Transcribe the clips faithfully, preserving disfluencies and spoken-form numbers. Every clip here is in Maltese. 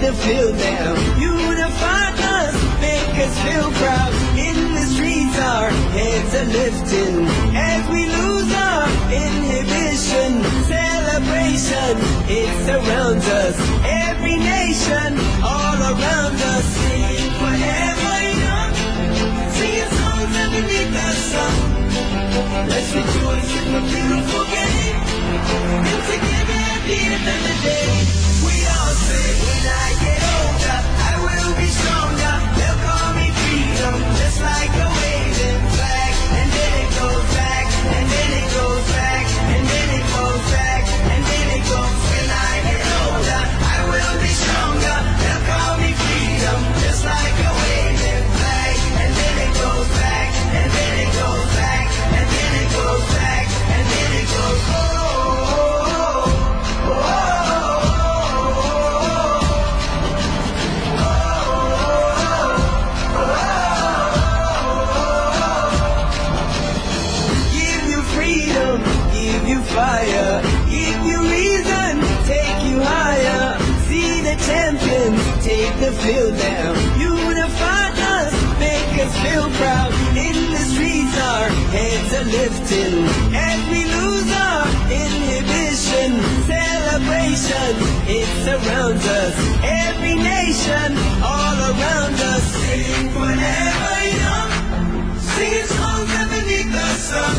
the field now. Unify us, make us feel proud. In the streets, our heads are lifting as we lose our inhibition. Celebration, it surrounds us. Every nation, all around us, singing forever young, singing songs underneath the sun. Let's rejoice in the beautiful game, and together at the end of the day, we all say, when I get older, I will be stronger. They'll call me freedom, just like a waving flag. And then it goes back, and then it goes back, and then it goes back, and then it goes. When I get older, I will be stronger. They'll call me freedom, just like a waving flag. And then it goes back, and then it goes back, and then it goes back, and then it goes. Oh, oh, oh, oh, oh. Give you freedom, give you fire, give you reason, take you higher. See the champions take the field now. Unify us, make us feel proud. In the streets, our heads are lifting as we lose our inhibition. Celebration, it surrounds us. Every nation, all around us, sing forever young, singing songs underneath the sun.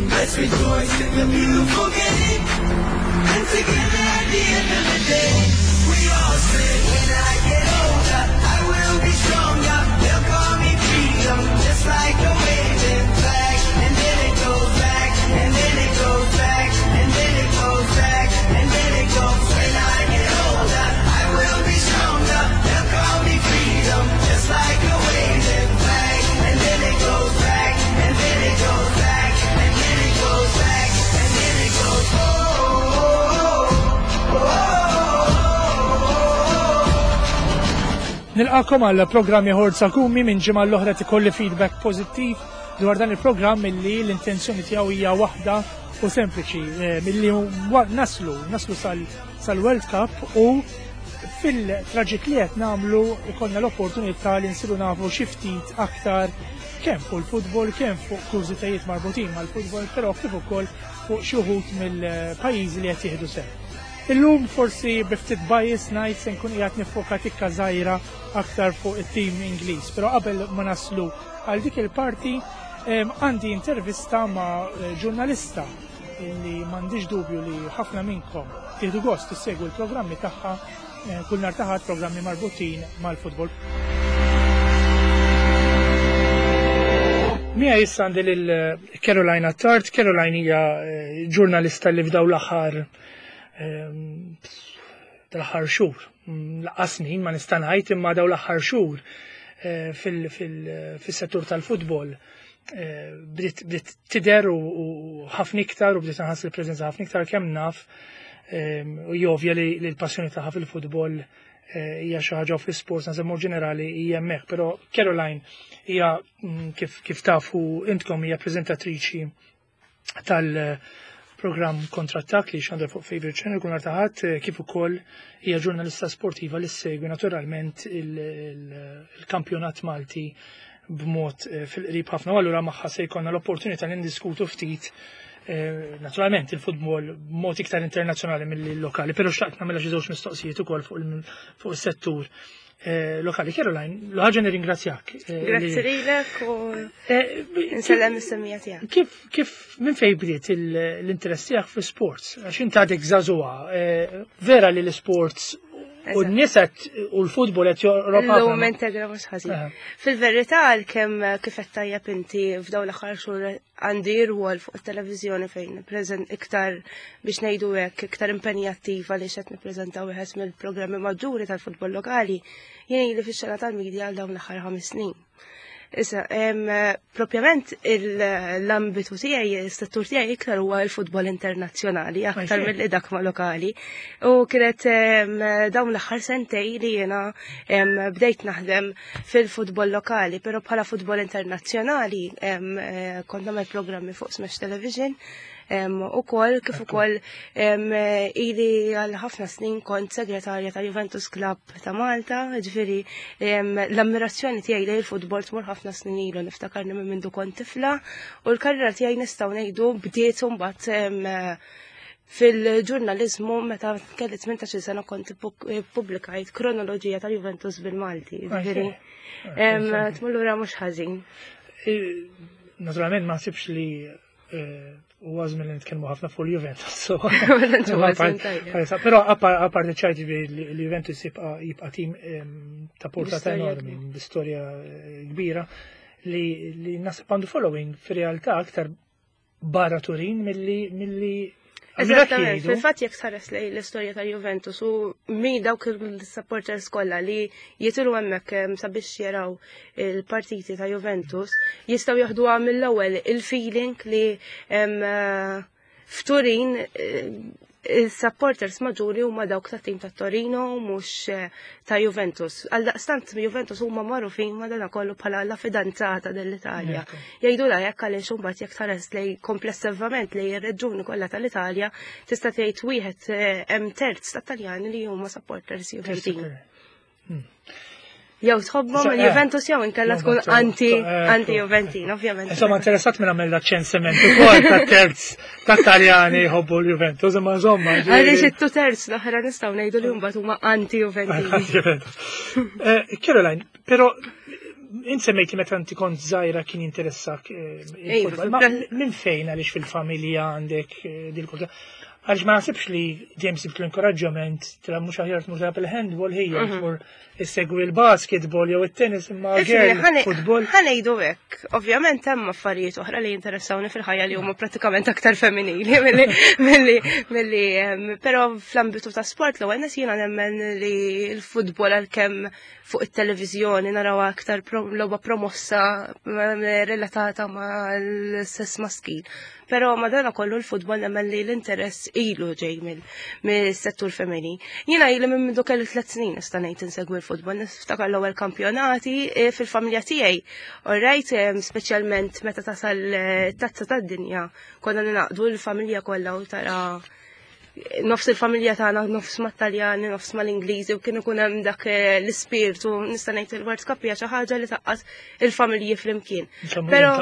Let's rejoice in the beautiful game, and together at the end of the day, we all say, when I get older, I will be stronger. They'll call me freedom, just like a waving flag. And then it goes back, and then it goes back, and then it goes back, and then it goes. When I get older, I will be stronger. They'll call me freedom, just like a waving flag. And then it goes back, and then it goes back, and then it goes back, and then it goes. Oh, oh, oh, oh, oh. Nilqagħkom għal programm ieħor Zakumi. Minn ġimgħa l-oħra ikolli feedback pożittiv dwar dan il-programm illi l-intenzjoni tiegħu hija waħda u sempliċi, eh, milli wa- naslu naslu sal- sal-World Cup u fil-traġitt li qed nagħmlu ikollna l-opportunità li nsiru nafu xi ftit aktar kemm fuq il-futbol, kemm fuq kurżitajiet marbutin mal-futbol, però kif ukoll fuq xi wħud mill-pajjiżi li qed jieħdu sehem. Illum forsi bi ftit bias ngħid se nkun qiegħed niffoka tikka żgħira aktar fuq it-tim Ingliż, però qabel ma naslu għal dik il-parti em, għandi intervista ma' eh, ġurnalista illi m'għandix dubju li ħafna minnkom tieħdu gost tissegwu l-programmi tagħha eh, kull nhar ta' Ħadd, programmi marbutin mal-futbol. Mija issa għandi lil Caroline Attard. Caroline hija eh, ġurnalista li f'daw l-aħħar ehm, tal-aħħar xhur, mm, lanqas snin ma nista' ngħid, imma daw l-aħħar xhur eh, fil- fil- fis-settur tal-futbol eh, bdiet bdiet tidher u u ħafna iktar u bdiet nħass il-preżenza ħafna iktar kemm naf ehm, u jovja li li l-passjoni tagħha fil-futbol eh, hija xi ħaġa u fl-isports naħseb mod ġenerali hija hemmhekk, però Caroline hija mm, kif kif tafu intkom hija preżentatriċi tal-programm Kontrattak li xandar fuq Favorite Channel kull nhar ta' Ħadd, eh, kif ukoll hija ġurnalista sportiva li ssegwi naturalment il- il- il-kampjonat Malti b'mod eh, fil-qrib ħafna. U allura magħha se jkollna l-opportunità li ndiskutu ftit eh, naturalment il-futbol b'mod iktar internazzjonali mill lokali, però xtaqt nagħmilha xi żewġ mistoqsijiet ukoll fuq il- fuq is-settur eh, lokali. Caroline, l-ħaġa nirringrazzjak. eh, li- Grazzi lilek u Eh, nsellem is-semmiegħa tiegħek. Kif, kif, minn fejn bdiet il- l-interess tiegħek fi sports? Għax inti għadek żagħżugħa, eh, vera li l-sports u Eżatt. n-nies qed- u l-futbol qed joqrob Illum ħafna. integra mhux ħażin. Aha. Fil-verità, għalkemm kif qed tajjeb inti, f'dawn l-aħħar xhur għandi rwol fuq it-televiżjoni fejn preżent iktar, biex ngħidu hekk, iktar impenjattiva li qed nippreżenta wieħed mill-programmi maġġuri tal-futbol lokali, jien ili fix-xena tal-medja għal dawn l-aħħar ħames snin. Issa, em, propjament il- l-ambitu tiegħi, is-settur tiegħi iktar huwa l-futbol internazzjonali, aktar Għaxej. mill dak ma' lokali. U kienet em, dawn l-aħħar sentej li jiena em, bdejt naħdem fil-futbol lokali, però bħala futbol internazzjonali em, eh, kont nagħmel programmi fuq Smash Television. Ukoll kif ukoll ili għal ħafna snin kont segretarja ta' Juventus Club ta' Malta, ġifieri l-ammirazzjoni tiegħi lejn il-futbol tmur ħafna snin ilu, niftakarni minn mindu kont tifla, u l-karriera tiegħi nistgħu ngħidu bdiet imbagħad fil-ġurnalizmu meta kelli tmintax-il sena kont ippubblikajt kronoloġija tal-Juventus bil-Malti. Ġifieri tmur lura mhux ħażin. Naturalment ma nsibx li huwa żmien li nitkellmu ħafna fuq il-Juventus. Però apparti ċajt li l-Juventus jibqa' tim ta' portata enormi, b'istorja kbira li naħseb għandu following fir-realtà aktar barra Turin milli milli Eżattament, fil-fatt jekk tħares lejn l-istorja ta' Juventus u mi dawk il-supporters kollha li jitilgħu hemmhekk sabiex jaraw il-partiti ta' Juventus, jistgħu jaħduha mill-ewwel il-feeling li f'Turin il-supporters maġġuri huma dawk ta' tim ta' Torino mhux ta' Juventus. Għal daqstant Juventus huma magħrufin madana kollu bħala la fidanzata dell'Italja. Jgħidu la jekk għaliex imbagħad jekk tħares lej komplessivament lej ir-reġjuni kollha tal-Italja tista' tgħid wieħed hemm terz ta' Taljani li huma supporters Juventini. Jew tħobbhom il-Juventus jew inkella tkun anti anti Juventin, ovvjament. Insomma, interessat minn għamel ċensiment ukoll ta' terz ta' Taljani jħobbu l-Juventus, imma insomma. Għaliex it-tu terz l-oħra nistgħu ngħidu li mbagħad huma anti Juventini. Anti-Juventus. Caroline, però insemmejt li meta inti kont żgħira kien jinteressak il-futbol. Ma minn fejn, għaliex fil-familja għandek dil-kultura? Għaliex ma nasibx li dejjem sibt l-inkoraġġament, tila mhux aħjar tmur tilgħab il-handball ħija, tmur issegwi l-basketball jew it-tennis, imma girl futbol. Ħa ngħidu hekk, ovvjament hemm affarijiet oħra li jinteressawni fil-ħajja li huma prattikament aktar femminili milli milli però fl-ambitu ta' sport l-ewwel nies jiena nemmen li l-futbol, għalkemm fuq it-televiżjoni naraw aktar logħba promossa relatata mal-sess maskil. Però madana kollu l-futbol nemmen li l-interess ilu ġej mill-settur femminil. Jiena ili minn mindu kelli tliet snin nista' ngħid insegwi l-futbol, niftakar l-ewwel kampjonati fil-familja tiegħi. Alright, speċjalment meta tasal tazza tad-dinja, konna ninaqdu l-familja kollha u tara nofs il-familja tagħna, nofs mat-Taljani, nofs mal-Ingliżi, u kien ikun hemm dak l-ispirtu, nista' ngħid il-World Cup hija xi ħaġa li taqqas il-familji flimkien. Però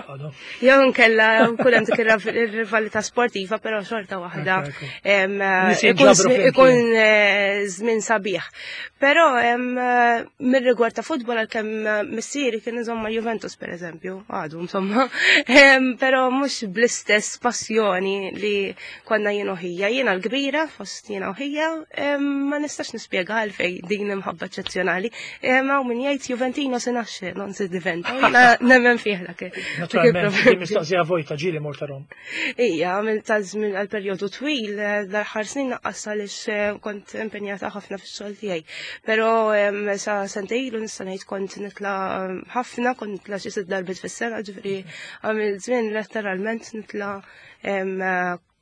jew inkella kull hemm dik ir-rivalità sportiva, però xorta waħda ikun żmien sabiħ. Però mir-rigward ta' futbol, għalkemm missieri kien insomma Juventus pereżempju, għadu insomma, però mhux bl-istess passjoni li konna jien u ħija. Jiena l-kbir fost jiena u ħija, ma nistax nispjega għalfej din imħabba eċċezzjonali. Ma min jgħid "Juventino si nasce, non si diventa". Jiena nemmen fih dak. Naturalment, mistoqsija vojta, ġieli mort Rom. Ija, għamil ta' żmien għal perjodu twil, dal-aħħar snin naqqas għaliex kont impenjata ħafna fix-xogħol tiegħi. Però sa sentejn ilu nista' ngħid kont nitla' ħafna, kont nitla' xi sitt darbiet fis-sena, ġifieri għamil żmien letteralment nitla'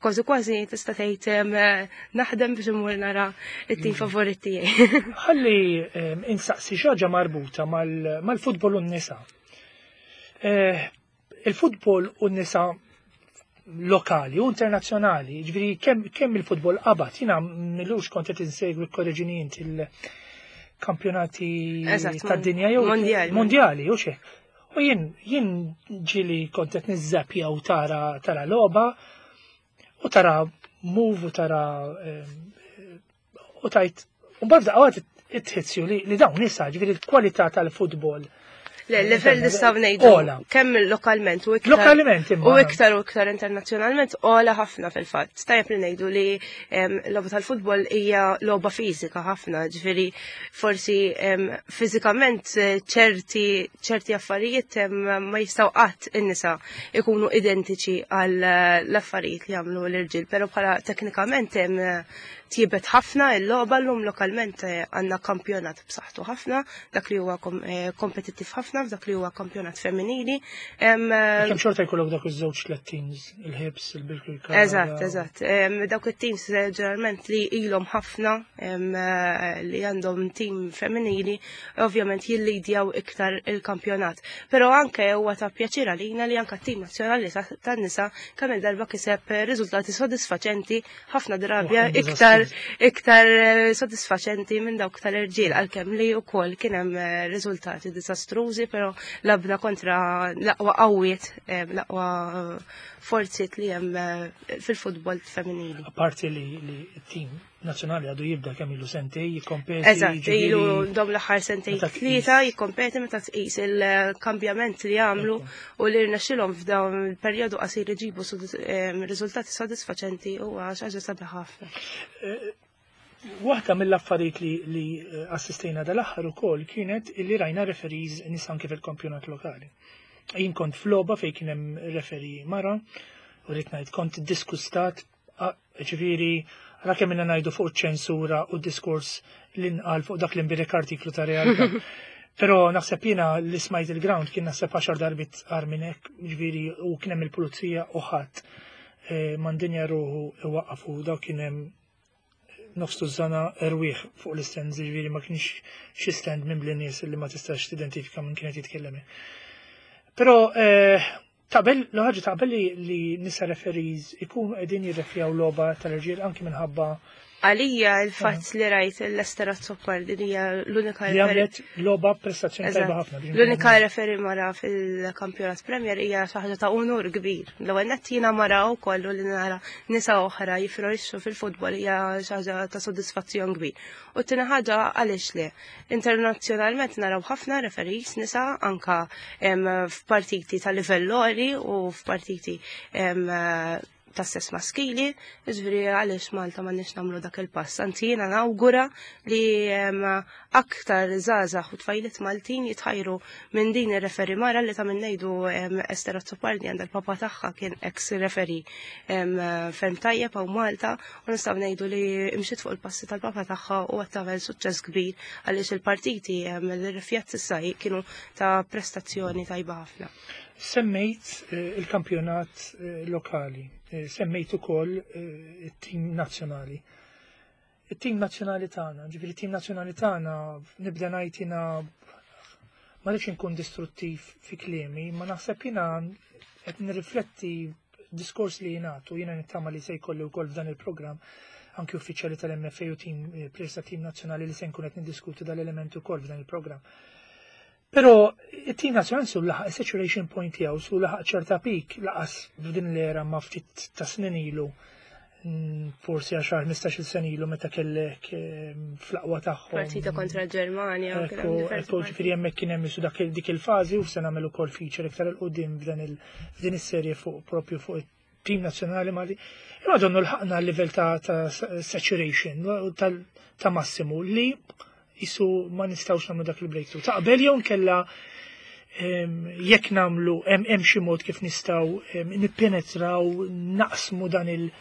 kważi kważi tista' tgħid naħdem biex imur nara it-tim favorit tiegħi. Ħalli insaqsi xi ħaġa marbuta mal-futbol u n-nisa. Il-futbol u n-nisa lokali u internazzjonali, ġifieri kemm il-futbol qabad, jiena m'ilux kont qed insegwi, korreġini int, il-kampjonati tad-dinja jew mondjali u xejn. U jien jien ġieli kont qed niżżappja u tara tara logħba u tara move u tara u tajt u mbagħad daqqa it-tħizzju li dawn nisa, ġifieri l-kwalità tal-futbol. Le, level nistgħu ngħidu kemm lokalment u iktar. Lokalment imma. U iktar u iktar internazzjonalment ogħla ħafna fil-fatt. Tajjeb li ngħidu li l-logħba tal-futbol hija logħba fiżika ħafna, ġifieri forsi fiżikament ċerti ċerti affarijiet ma jistgħu qatt in-nisa ikunu identiċi għal l-affarijiet li jagħmlu l-irġiel, però bħala teknikament Tjiebet ħafna il-logħba llum lokalment, eh, għandna kampjonat b'saħħtu ħafna, dak li huwa eh, kompetittiv ħafna f'dak li huwa kampjonat femminili. Kemm xorta jkollok dak iż-żewġ tliet teams, il-Hibs, il-Birkirkara. Eżatt, eżatt. Dawk it-teams ġeneralment li ilhom ħafna li għandhom team femminili, ovvjament jillidjaw iktar il-kampjonat. Però anke huwa ta' pjaċir għalina li anke t-tim nazzjonali tan-nisa kemm il-darba kiseb riżultati sodisfaċenti, ħafna drabi iktar iktar eh, sodisfaċenti minn dawk tal-irġiel, għalkemm li wkoll kien hemm eh, riżultati diżastrużi, però lgħabna kontra l-aqwa qawwiet, eh, l-aqwa forziet li hemm fil-futbol femminili. Apparti li t-tim nazzjonali għadu jibda, kemm ilu, sentej jikkompeti. Eżatt, ilu dom l-aħħar sentej tlieta jikkompeti. Meta tqis il-kambjament li għamlu u li rnexxilhom f'dawn il-perjodu qasir iġibu riżultati sodisfaċenti, huwa xi ħaġa sabiħ ħafna. Waħda mill-affarijiet li, li assistejna dal-aħħar ukoll kienet li rajna referees nisa anke fil-kampjonat lokali. Jien kont f'logħba fejn kien hemm referee mara u rrid ngħid kont diskustat, ġifieri ra kemm inna ngħidu fuq ċensura u diskors li nqal fuq dak l-imbirek artiklu ta' realtà. Però naħseb jiena li smajt il-ground kien naħseb għaxar darbit agħar minn hekk, ġifieri u kien hemm il-pulizija u ħadd eh, mandinja ruħu iwaqqafu. Daw kien hemm nofs tużżana erwieħ fuq l-stand, ġifieri ma kienx xi stand minn nies li ma tistax tidentifika minn kienet jitkellem. Però eh, taqbel, l-ħaġa taqbel li, li nisa referees ikunu qegħdin jirrefjaw logħba tal-irġiel anki minħabba Għalija il-fatt li rajt l-Esther Azzopardi li hija l-unika li għamlet logħba prestazzjoni tajba ħafna. L-unika referee mara fil-kampjonat Premier hija xi ħaġa ta' unur kbir. L-ewwel nett jiena mara wkoll li nara nisa oħra jifrorixxu fil-futbol hija xi ħaġa ta' sodisfazzjon kbir. U t-tieni ħaġa, għaliex le? Internazzjonalment naraw ħafna referees nisa anka f'partiti ta' livell għoli u f'partiti ta' sess maskili, ġifieri għaliex Malta ma nix nagħmlu dak il-pass? Anzi, jiena nawgura li aktar żgħażagħ u tfajliet Maltin jitħajru minn din ir-referee mara li ta' minn ngħidu Esther Azzopardi għandha l-papa tagħha kien ex referee ferm tajjeb hawn Malta u nistgħu ngħidu li imxiet fuq il-passi tal-papa tagħha u qed tagħmel suċċess kbir għaliex il-partiti l-rifjat s'issa kienu ta' prestazzjoni tajba ħafna. Semmejt eh, il-kampjonat eh, lokali, eh, semmejt ukoll it-tim nazzjonali. It-tim nazzjonali tagħna, ġifieri it-tim nazzjonali tagħna, nibda ngħid jiena ma rridx inkun distruttiv fi kliemi, ma naħseb jiena qed nirrifletti diskors li jingħatu, jiena nittama li se jkolli wkoll f'dan il-programm anki uffiċjali tal-M F A u team players ta' tim nazzjonali li se nkun qed niddiskuti dal-element ukoll f'dan il-programm. Però it-tim nazzjonali su laħaq saturation point tiegħu, su laħaq ċerta peak laqas f'din l-era ma ftit ta' snin ilu, mm, forsi għaxar ħmistax-il sena ilu meta kellek eh, fl-aqwa tagħhom. Partita kontra l-Ġermanja. Ekku, ekku, ġifieri hemmhekk kien hemm isu dak dik il-fażi u se nagħmel ukoll feature iktar 'il quddiem f'dan il f'din is-serje fuq propju fuq it-tim nazzjonali Mali. Imma donnu lħaqna l-livell ta' ta' saturation ta' massimu li jisu ma nistgħux nagħmlu dak il-breakthrough. Taqbel jew nkella jekk nagħmlu hemm xi mod kif nistgħu nippenetraw, naqsmu dan il-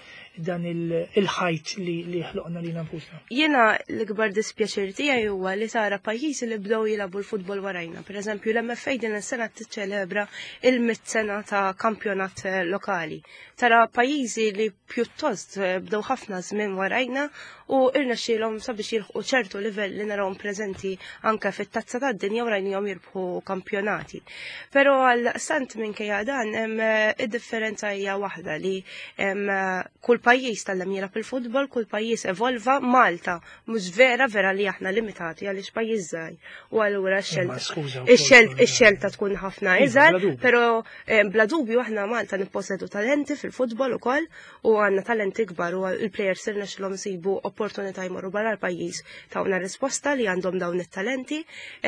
dan il-ħajt li li ħloqna lilna nfusna? Jiena l-ikbar dispjaċir tiegħi huwa li tara pajjiżi li bdew jilagħbu l-futbol warajna. Per eżempju, l-M F A din is-sena tiċċelebra il-mit sena ta' kampjonat eh, lokali. Tara pajjiżi li pjuttost eh, bdew ħafna żmien warajna u irnexxielhom sabiex jilħqu ċertu livell li narawhom preżenti anke fit-tazza tad-dinja u rajnihom jirbħu kampjonati. Però għal sant minkejja dan hemm eh, id-differenza hija waħda li hemm kull pajjiż tgħallem jilgħab il-futbol, kull pajjiż evolva. Malta mhux vera vera li aħna limitati għaliex pajjiż żgħir. U allura x-xelta ix-xelta tkun ħafna Iva, iżgħar, però eh, bla dubju aħna Malta nipposedu talenti fil-futbol ukoll u għandna talenti kbar u l-players irnexxilhom isibu opportunità jmorru barra l-pajjiż, tawna risposta li għandhom dawn it-talenti.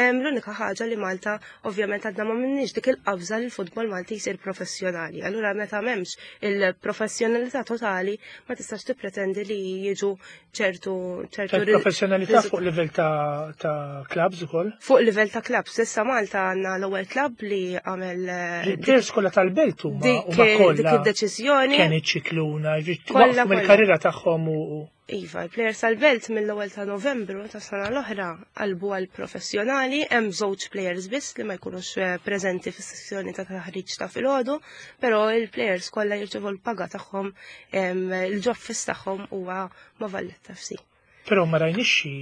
L-unika ħaġa li Malta ovvjament għadna ma minniex dik il-qabża li l-futbol Malti jsir professjonali. Allura meta m'hemmx il-professjonalità totali ma tistax tippretendi li jiġu ċertu ċertu Professjonalità fuq livell ta' ta' clubs ukoll? Fuq livell ta' clubs. Issa Malta għandna l-ewwel club li għamel eh, Il-players kollha tal-belt huma dik huma dik kollha id-deċiżjoni. Kien iċ-Ċikluna, Kollha, mill-karriera tagħhom u Iva, il-players tal-Belt mill-ewwel ta' Novembru ta' sena l-oħra qalbu għal professjonali, hemm żewġ players biss li ma jkunux eh, preżenti fis-sessjoni ta' taħriġ ta' filgħodu, però il-players kollha jirċevu l-paga tagħhom, il-job fiss tagħhom huwa ma' Valletta F C. Però ma rajniex xi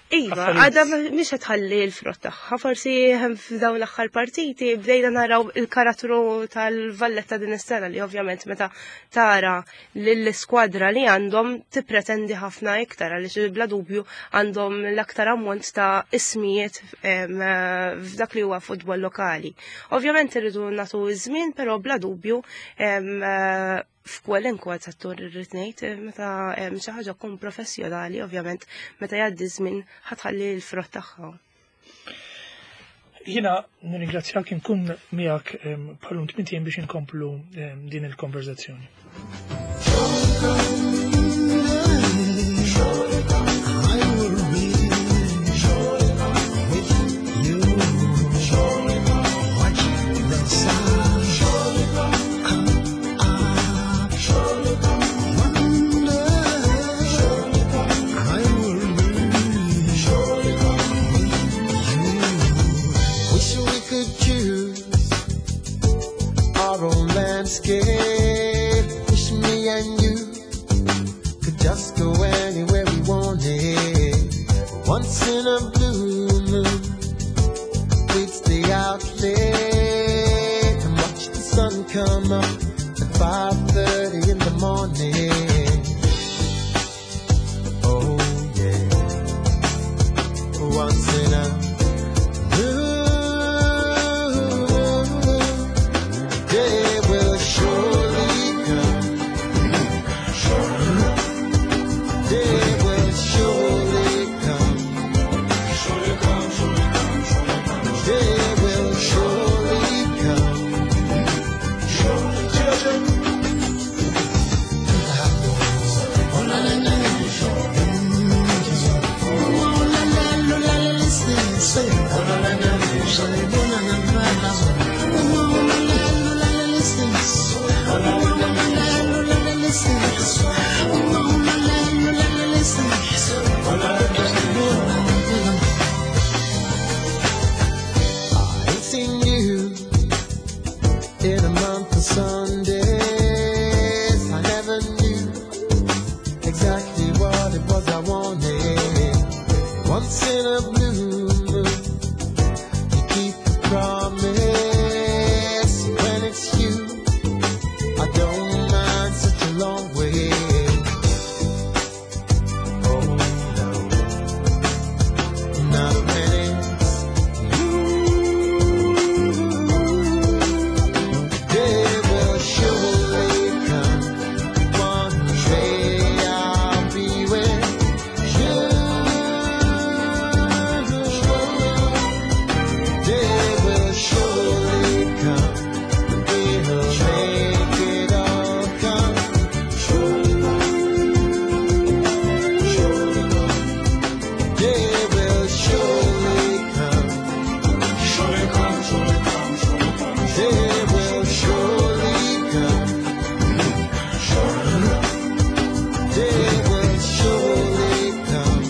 Iva, għadha mhix qed tħalli l-frott tagħha, forsi hemm f'dawn l-aħħar partiti bdejna naraw il-karattru tal-Valletta din is-sena li ovvjament meta tara lill-iskwadra li għandhom tippretendi ħafna iktar għaliex bla dubju għandhom l-aktar ammont ta' ismijiet f'dak li huwa futbol lokali. Ovvjament irridu nagħtu iż-żmien, però bla dubju f'kwalunkwe settur irrid ngħid meta xi ħaġa tkun professjonali, ovvjament meta jgħaddi żmien ħa tħalli l-frott tagħha. Jiena nirringrazzjak, inkun miegħek bħalum tmint ijiem biex inkomplu din il-konverzazzjoni. I will be with you. Watch the sun come up. One day I will be with you. Wish we could choose our own landscape. Wish me and you could just go anywhere we wanted. Once in a blue moon, we'd stay out late and watch the sun come up at five thirty in the morning. Oh yeah. Once in a blue moon, day will surely come. Day will surely come. Day will surely come. I ain't seen you in a month of Sundays. I never knew exactly what it was I wanted. Once in a blue moon, you keep a promise. When it's you, I don't mind such a long way. Oh no, not when it's you. Day will surely come. One day I'll be with you. Day will surely come. We'll make it all come true. Day will surely come. Day will surely come. Day will surely come. Day will surely come.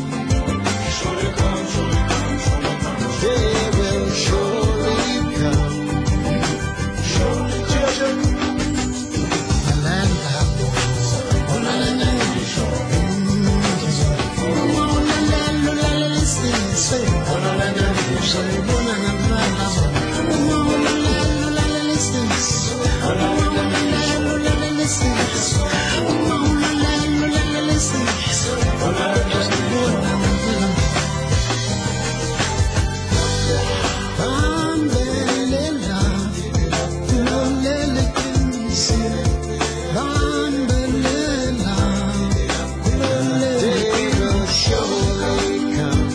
Day will surely come.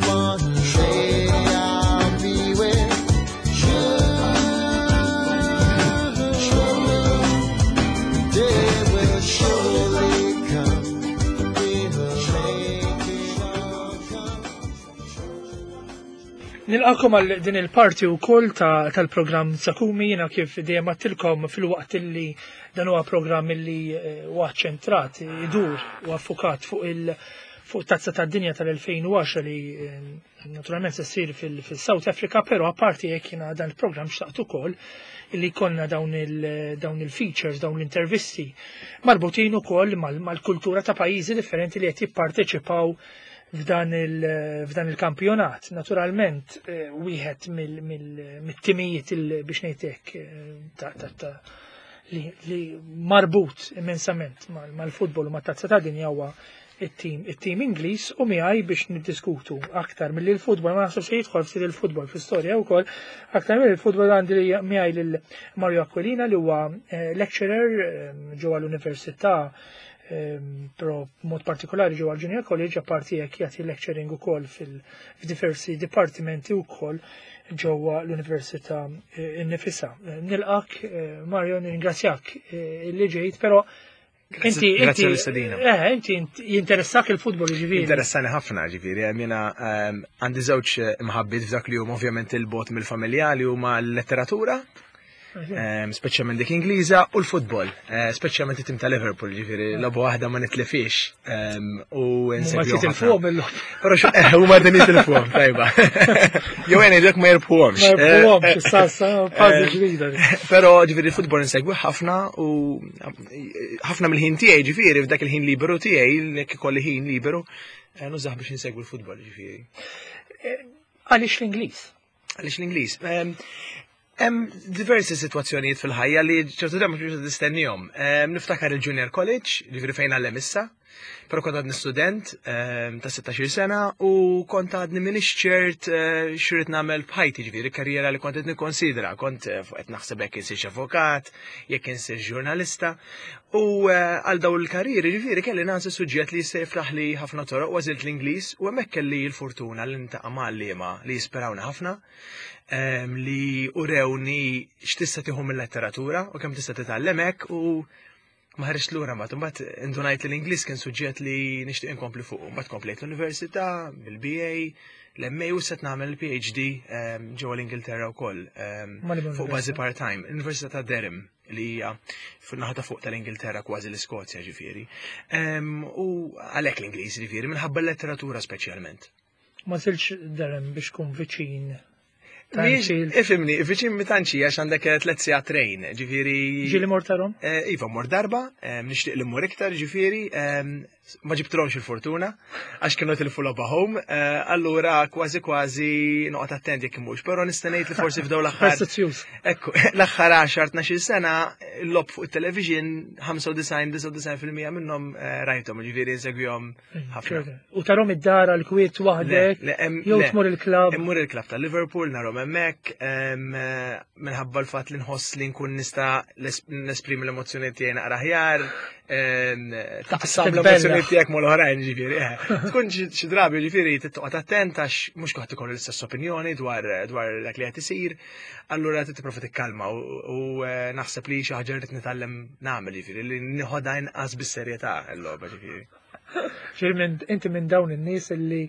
One day I'll Nilqakom għal din il-parti wkoll tal-programm Zakumi. Jiena kif dejjem għedtilkom, filwaqt illi dan huwa programm illi eh, huwa ċentrat, idur u affukat fuq il- fuq tazza tad-dinja tal-elfejn u għaxra li eh, naturalment se ssir fil-South Africa, però apparti jekk jiena dan il-programm xtaqt ukoll illi konna dawn il-features, dawn l-intervisti marbutin ukoll mal-kultura ta' pajjiżi differenti li qed jipparteċipaw f'dan il-kampjonat. Naturalment, eh, wieħed mill-timijiet biex ngħidlek eh, li marbut immensament mal-futbol u mat-tazza ta' dinja huwa it-tim it-tim Ingliż, u miegħi biex niddiskutu aktar milli l-futbol, ma naħseb se jidħol ftit il-futbol fl-istorja wkoll, aktar mill il-futbol għandi miegħi lil Mario Aquilina li huwa eh, lecturer ġewwa l-Università, però mod partikolari ġewwa l-Junior College, apparti jekk jagħti lecturing ukoll fil-diversi dipartimenti wkoll ġewwa l-Università eh, innifisha. Nilqak, eh, Mario, nirringrazzjak eh, li ġejt, però inti, inti, eh, inti jinteressak il-futbol, ġifieri. Interessani ħafna, ġifieri, jiena għandi żewġ imħabbiet f'dak li huma ovvjament il-bot mill-familjali, huma l-letteratura, speċjalment dik Ingliża, u l-futbol, eh, speċjalment it-tim ta' Liverpool, ġifieri logħba waħda ma nitlifix u Ma jitilfuhom il-logħba. Però eh, huma din jitilfuhom, tajba. Jew għen dak ma jirbħuhomx. Ma jirbħuhomx, issa fażi ġdida. Però ġifieri l-futbol insegwi ħafna u ħafna mill-ħin tiegħi, ġifieri f'dak il-ħin liberu tiegħi, jekk ikolli ħin liberu, eh, nużah biex insegwi l-futbol, ġifieri. Għaliex l-Ingliż? Għaliex l-Ingliż? Hemm diversi sitwazzjonijiet fil-ħajja li ċertu drabi mhux tistennihom. Niftakar il-Junior College, ġifieri fejn għallem issa, però kont għadni student ta' sittax-il sena u kont għadni minix ċert eh, x'irrid nagħmel b'ħajti, ġifieri karriera li kont qed nikkonsidra, kont eh, fuq qed naħseb jekk insirx avukat, jekk insirx ġurnalista. U eh, għal daw il-karrieri, ġifieri kelli nagħżel suġġett li jista' jiftaħ li ħafna toroq, u għażilt l-Ingliż, u hemmhekk kelli l-fortuna li niltaqa' ma' għalliema li jispirawna ħafna, em, li urewni x'tista' tieħu mill-letteratura u kemm tista' titgħallem hekk, u ma ħarġt lura mbagħad. Imbagħad indunajt li l-Ingliż kien suġġett li nixtieq inkompli fuq. Mbagħad komplejt l-università bil-B A, l-M A u set nagħmel il-P H D em, ġewwa l-Ingilterra wkoll em, Ma li fuq bażi part-time, l-Università ta' Durham, li hija fin-naħa ta' fuq tal-Ingilterra, kważi l-Iskozja, ġifieri. Em, U għalhekk l-Ingliż, ġifieri minħabba l-letteratura speċjalment. Ma żilx Durham biex tkun viċin ta' Miex, Anfield? Ifhimni, viċin mi tantx, għax għandek eh, tliet sigħat train, ġifieri. Ġieli mort tarahom? Eh, Iva, mort darba, eh, nixtieq li mmur iktar, ġifieri, eh, ma ġibtilhomx il-fortuna, għax kienu tilfu logħba home, eh, allura kważi kważi noqgħod attent jekk mhux, però nista' ngħid li forsi f'daw l-aħħar. Superstizzjuż. Ekku, l-aħħar għaxar tnax-il sena, l-logħob fuq il-television, ħamsa u disgħin, disgħa u disgħin fil-mija minnhom eh, rajthom, ġifieri nsegwihom ħafna. U tarahom id-dar għal-kwiet waħdek, Le, le, em- jew le. tmur il-klab? Immur il-klab ta' Liverpool, narahom hemmhekk, em, eh, minħabba l-fatt li nħoss li nkun nista' les- nesprimi l-emozzjoni tiegħi naqra aħjar, em, taqsam Titbella. l-emozzjoni tiegħek mal-oħrajn, ġifieri. eh. Tkun xi xi drabi, ġifieri tittoqgħod attent għax mhux kulħadd ikollu l-istess opinjoni dwar dwar dak li qed isir, allura trid tipprova tikkalma u u, eh, naħseb li xi ħaġa rrid nitgħallem nagħmel, ġifieri li nieħodha inqas bis-serjetà l-logħba, ġifieri. Ġifieri minn- inti minn dawn in-nies illi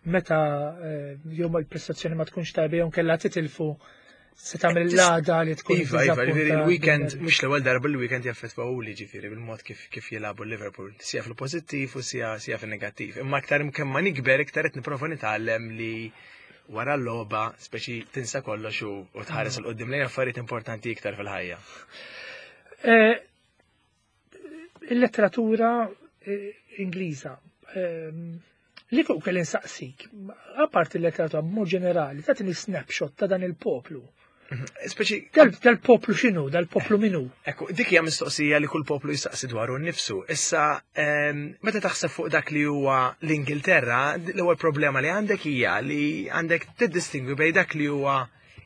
meta eh, jew il-prestazzjoni ma tkunx tajba jew kellha titilfu, se tagħmel l-għada li tkun Iva, iva, ġifieri dizappuntat. il-weekend, mhux l-ewwel darba il-weekend jaffettwa li ġifieri bil-mod kif kif jilagħbu Liverpool, sija fil-pożittiv u sija sija fil-negattiv. Imma aktar kemm ma nikber, iktar qed nipprova nitgħallem li wara l-logħba speċi tinsa kollox u u tħares 'il quddiem lejn affarijiet importanti iktar fil-ħajja. Eh, Il-letteratura eh, Ingliża, ehm, li fuq kelli nsaqsik, apart il-letteratura b'mod ġenerali, tagħtini snapshot ta' dan il-poplu. Speċi Dal- Dal-poplu x'inhu, dal-poplu minu? Ekku, dik hija mistoqsija li kull poplu jistaqsi dwaru nnifsu. Issa, ehm, meta taħseb fuq dak li huwa l-Ingilterra, l-ewwel problema li għandek hija li għandek tiddistingwi bejn dak li huwa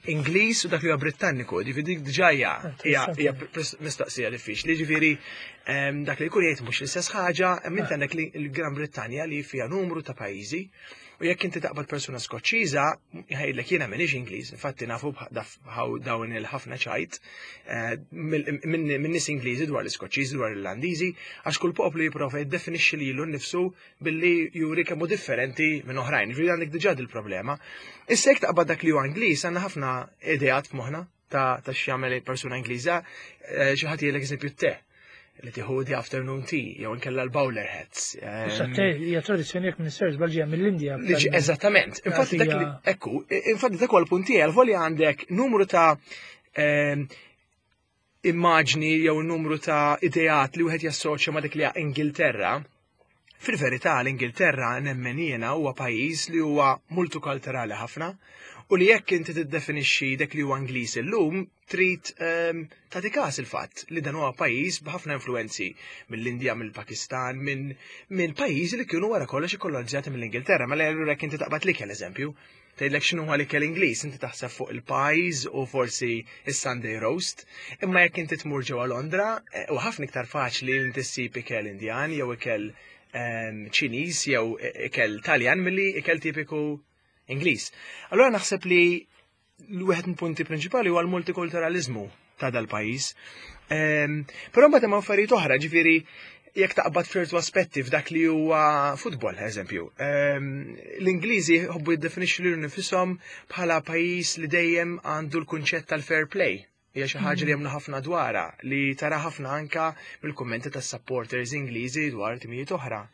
Ingliż u dak li huwa Britanniku. Ġifieri dik diġà hija hija hija pres- mistoqsija diffiċli. Ġifieri ehm, dak li jkun jgħid mhux l-istess ħaġa, imma inti għandek li l-Gran Brittanja li fiha numru ta' pajjiżi U jekk inti taqbad persuna Skoċċiża, jgħidlek jiena m'iniex Ingliż, infatti nafu dawn il-ħafna ċajt eh, minn nies Ingliżi dwar l-Iskoċċiżi, dwar l-Irlandiżi, għax kull poplu jipprova jiddefinixxi lilu nnifsu billi juri kemm hu differenti minn oħrajn. Ġifieri għandek diġà il-problema. Issa jekk taqbad dak li huwa Ingliż, għandna ħafna ideat f'moħħna ta' ta' x'jagħmel persuna Ingliża, eh, xi ħadd jgħidlek eżempju te li tieħu the afternoon tea, jew inkella l-bowler hats. Issa te hija tradizzjoni jekk minn ser ġej mill-Indja. Eżattament. Infatti dak li ekku, infatti dak huwa l-punt tiegħi għal għandek numru ta' ehm, immaġni jew numru ta' ideat li wieħed jassoċja ma' dik li Ingilterra. Fil-verità l-Ingilterra nemmen jiena huwa pajjiż li huwa multikulturali ħafna u li jekk inti tiddefinixxi dak li huwa Ingliż illum trid ehm, tagħti każ il-fatt li dan huwa pajjiż b'ħafna influenzi mill-Indja, mill-Pakistan, minn minn pajjiżi li kienu wara kollox ikkolonizzati mill-Ingilterra. Mela allura jekk inti taqbad l-ikel eżempju, tgħidlek x'inhu huwa l-ikel Ingliż, inti taħseb fuq il-pies u forsi is-Sunday roast, imma jekk inti tmur ġewwa Londra, eh, u ħafna iktar faċli li inti ssib ikel Indjan jew ikel ehm, Ċiniż jew ikel Taljan milli ikel tipiku Ingliż. Allura naħseb li l-wieħed mill-punti prinċipali huwa l-multikulturalizmu ta' dal-pajjiż. Ehm, però mbagħad hemm affarijiet oħra, ġifieri jekk taqbad f'ċertu aspetti f'dak li huwa futbol, eżempju. Ehm, L-Ingliżi jħobbu jiddefinixxu lilhom nifisom bħala pajjiż li dejjem għandu l-kunċett tal-fair play. Hija xi ħaġa li jemmnu ħafna dwarha, li tara ħafna anka mill-kummenti tas-supporters Ingliżi dwar timijiet oħra.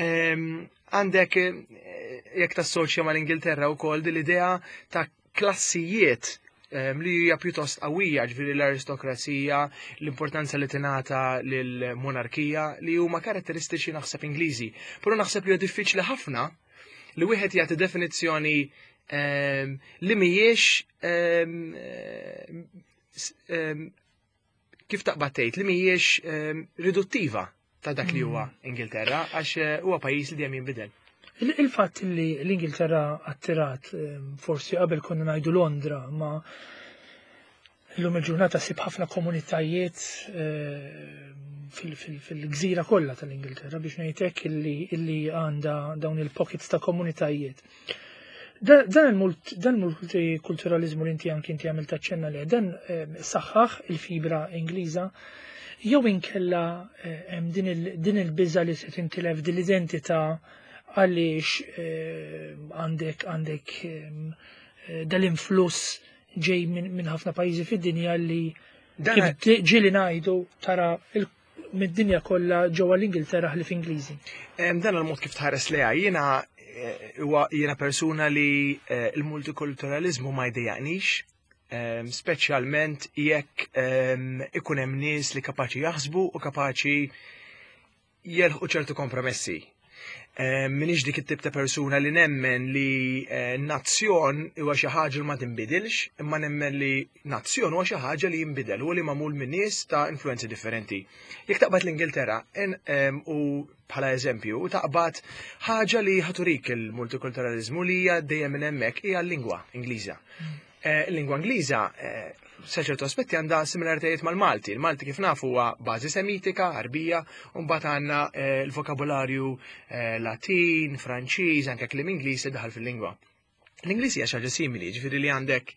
Ehm, Għandek eh, jekk tassoċja mal-Ingilterra wkoll din l-idea ta' klassijiet ehm, li hija pjuttost qawwija, ġifieri l-aristokrazija, l-importanza li tingħata lill-monarkija li huma karatteristiċi naħseb Ingliżi. Però naħseb li huwa diffiċli ħafna li wieħed jagħti definizzjoni ehm, li mhijiex ehm, ehm, kif taqbad tgħid li mhijiex ehm, riduttiva ta' dak li huwa Ingilterra għax eh, huwa pajjiż li dejjem jinbidel. Il- Il-fatt li l-Ingilterra attirat, ehm, forsi qabel konna ngħidu Londra, ma illum il-ġurnata ssib ħafna komunitajiet ehm, fil- fil- fil-gżira kollha tal-Ingilterra biex ngħidlek illi illi għandha dawn il-pockets ta' komunitajiet. Da- Dan il-mult- dan il-multikulturalizmu li inti anki inti għamilt aċċenna li dan ehm, saħħaħ il-fibra Ingliża jew inkella eh, hemm din il- din il-biża li se tintilef din l-identità għaliex eh, għandek għandek ehm, eh, dal-influss ġej minn min ħafna pajjiżi fid-dinja li Dan kif ġieli ngħidu tara il- mid-dinja kollha ġewwa l-Ingilterra ħlief Ingliżi. Em, Dan il-mod kif tħares leha jiena eh, huwa jiena persuna li eh, il-multikulturalizmu ma jdejjaqnix, em, speċjalment jekk em, ikun hemm nies li kapaċi jaħsbu u kapaċi jelħqu ċertu kompromessi. Em, Minix dik it-tip ta' persuna li nemmen li eh, nazzjon huwa xi ħaġa li ma tinbidilx, imma nemmen li nazzjon huwa xi ħaġa li jinbidel u li magħmul minn nies ta' influenzi differenti. Jekk taqbad l-Ingilterra en- em, u bħala eżempju, u taqbad ħaġa li ħa turik il-multikulturalizmu li hija dejjem minn hemmhekk hija l-lingwa Ingliża. Eh, Il-lingwa Ingliża eh, sa ċertu aspetti għandha similaritajiet mal-Malti. Il-Malti kif nafu huwa bażi semitika, Arbija, u mbagħad għandna eh, l-vokabularju eh, Latin, Franċiż, anke kliem Ingliż li daħal fil-lingwa. L-Ingliż hija xi ħaġa simili, ġifieri li għandek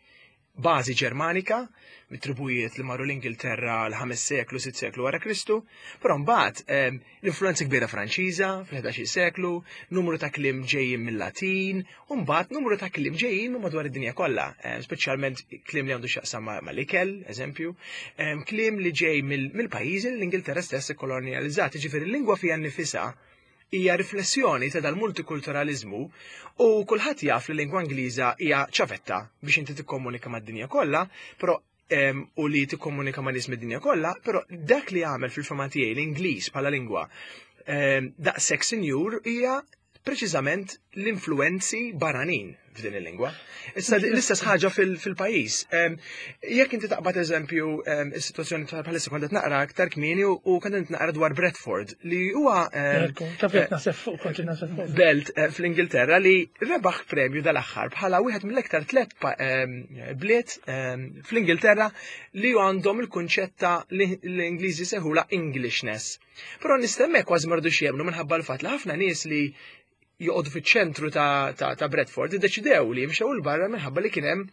bażi Ġermanika, mit-tribujiet li marru l-Ingilterra l-ħames seklu, sitt seklu wara Kristu, però mbagħad em, l-influenza kbira Franċiża fil-ħdax seklu, numru ta' kliem ġejjin mill-Latin, u mbagħad numru ta' kliem ġejjin minn madwar id-dinja kollha, em, speċjalment kliem li għandu x'jaqsam ma' mal-ikel, eżempju, em, kliem li ġej mill- mill-pajjiżi li l-Ingilterra stess ikkolonializzat, ġifieri l-lingwa fiha nnifisha hija riflessjoni ta' dal-multikulturalizmu u kulħadd jaf li l-lingwa Ingliża hija ċavetta biex inti tikkomunika mad-dinja kollha, però em, u li tikkomunika ma' nies mid-dinja kollha, però dak li għamel fil-fehma tiegħi l-Ingliż bħala lingwa em, daqshekk sinjur hija preċiżament l-influenzi barranin f'din il-lingwa. Issa l-istess ħaġa fil- fil-pajjiż. Em, Jekk inti taqbad eżempju em, is-sitwazzjoni ta' bħalissa kont qed naqra aktar kmieni u u kont qed naqra dwar Bradford li huwa em, Ekku, Taf jekk naħseb fuq, kont naħseb fuq. belt eh, fl-Ingilterra li rebaħ premju dal-aħħar bħala wieħed mill-iktar tliet pa- em, bliet em, fl-Ingilterra li għandhom il-kunċett ta' li l-Ingliżi sejħulha Englishness. Però nistemmek kważi ma ridux jemmnu minħabba l-fatt li ħafna nies li joqogħdu fiċ-ċentru ta', ta, ta' Bradford iddeċidew li jimxew 'il barra minħabba li kien hemm